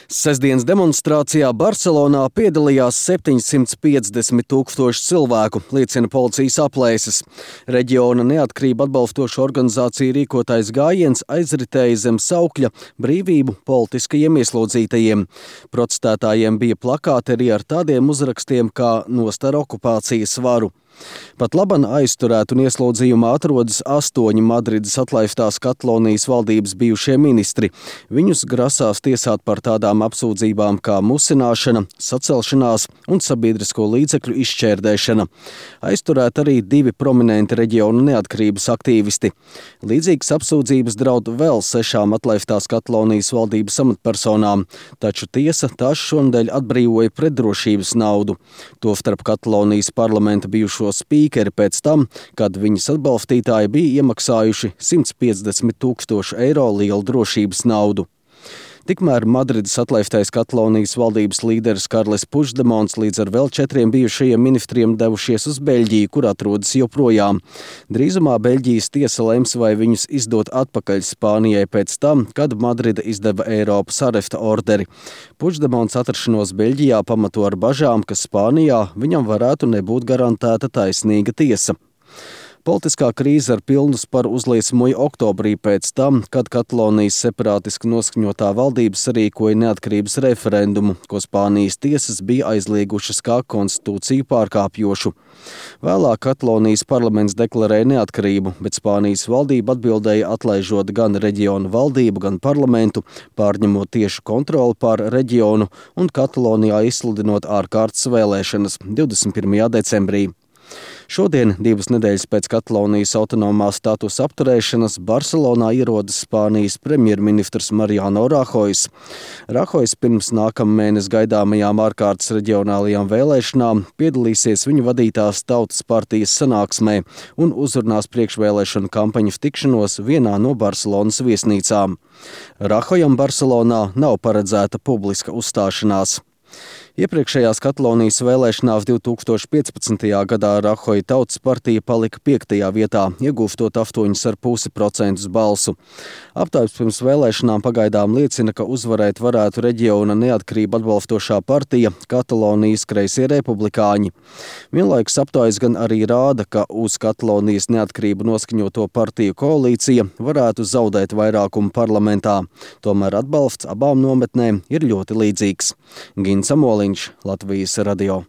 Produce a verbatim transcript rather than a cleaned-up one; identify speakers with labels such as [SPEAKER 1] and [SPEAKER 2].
[SPEAKER 1] Sestdienas demonstrācijā Barselonā piedalījās septiņsimt piecdesmit tūkstoši cilvēku, liecina policijas aplēses. Reģiona neatkarību atbalstošo organizāciju rīkotais gājiens aizritēja zem saukļa brīvību politiskajiem ieslodzītajiem. Protestētājiem bija plakāti arī ar tādiem uzrakstiem kā "Nost ar okupācijas varu". Pat laban aizturēt un ieslodzījumā atrodas astoņi Madrides atlaistās Katalonijas valdības bijušie ministri. Viņus grasās tiesāt par tādām apsūdzībām kā musināšana, sacelšanās un sabiedrisko līdzekļu izšķērdēšana. Aizturēt arī divi prominenti reģionu neatkarības aktīvisti. Līdzīgas apsūdzības draud vēl sešām atlaistās Katalonijas valdības amatpersonām, taču tiesa tās šonedēļ atbrīvoja pret drošības naudu. Tostarp Katalonijas parlamenta bijušo spīkeri pēc tam, kad viņas atbalstītāji bija iemaksājuši simt piecdesmit tūkstošu eiro lielu drošības naudu. Tikmēr Madrides atlaistais Katalonijas valdības līderis Karles Puigdemons līdz ar vēl četriem bijušajiem ministriem devušies uz Beļģiju, kur atrodas joprojām. Drīzumā Beļģijas tiesa lems, vai viņus izdot atpakaļ Spānijai pēc tam, kad Madrida izdeva Eiropas aresta orderi. Puigdemons atrašanos Beļģijā pamato ar bažām, ka Spānijā viņam varētu nebūt garantēta taisnīga tiesa. Politiskā krīze ar pilnu sparu uzliesmoja oktobrī pēc tam, kad Katalonijas separātiski noskaņotā valdība sarīkoja neatkarības referendumu, ko Spānijas tiesas bija aizliegušas kā konstitūciju pārkāpjošu. Vēlāk Katalonijas parlaments deklarēja neatkarību, bet Spānijas valdība atbildēja atlaižot gan reģionu valdību, gan parlamentu, pārņemot tiešu kontroli pār reģionu un Katalonijā izsludinot ārkārtas vēlēšanas divdesmit pirmajā decembrī. Šodien, divas nedēļas pēc Katalonijas autonomā statusa apturēšanas, Barselonā ierodas Spānijas premjerministrs Mariano Rahojs. Rahojs pirms nākamnedēļ gaidāmajām ārkārtas reģionālajām vēlēšanām piedalīsies viņu vadītās Tautas partijas sanāksmē un uzrunās priekšvēlēšanu kampaņas tikšanos vienā no Barselonas viesnīcām. Rahojam Barselonā nav paredzēta publiska uzstāšanās. Iepriekšējās Katalonijas vēlēšanās divtūkstoš piecpadsmitajā gadā Rahoja Tautas partija palika piektajā vietā, iegūstot astoņus ar pusi procentus balsu. Aptaujas pirms vēlēšanām pagaidām liecina, ka uzvarēt varētu reģiona neatkarību atbalstošā partija Katalonijas kreisie republikāņi. Vienlaikus aptaujas gan arī rāda, ka uz Katalonijas neatkarību noskaņoto partiju koalīcija varētu zaudēt vairākumu parlamentā. Tomēr atbalsts abām nometnēm ir ļoti līdzīgs. Gins Amoliņš, Latvijas radio.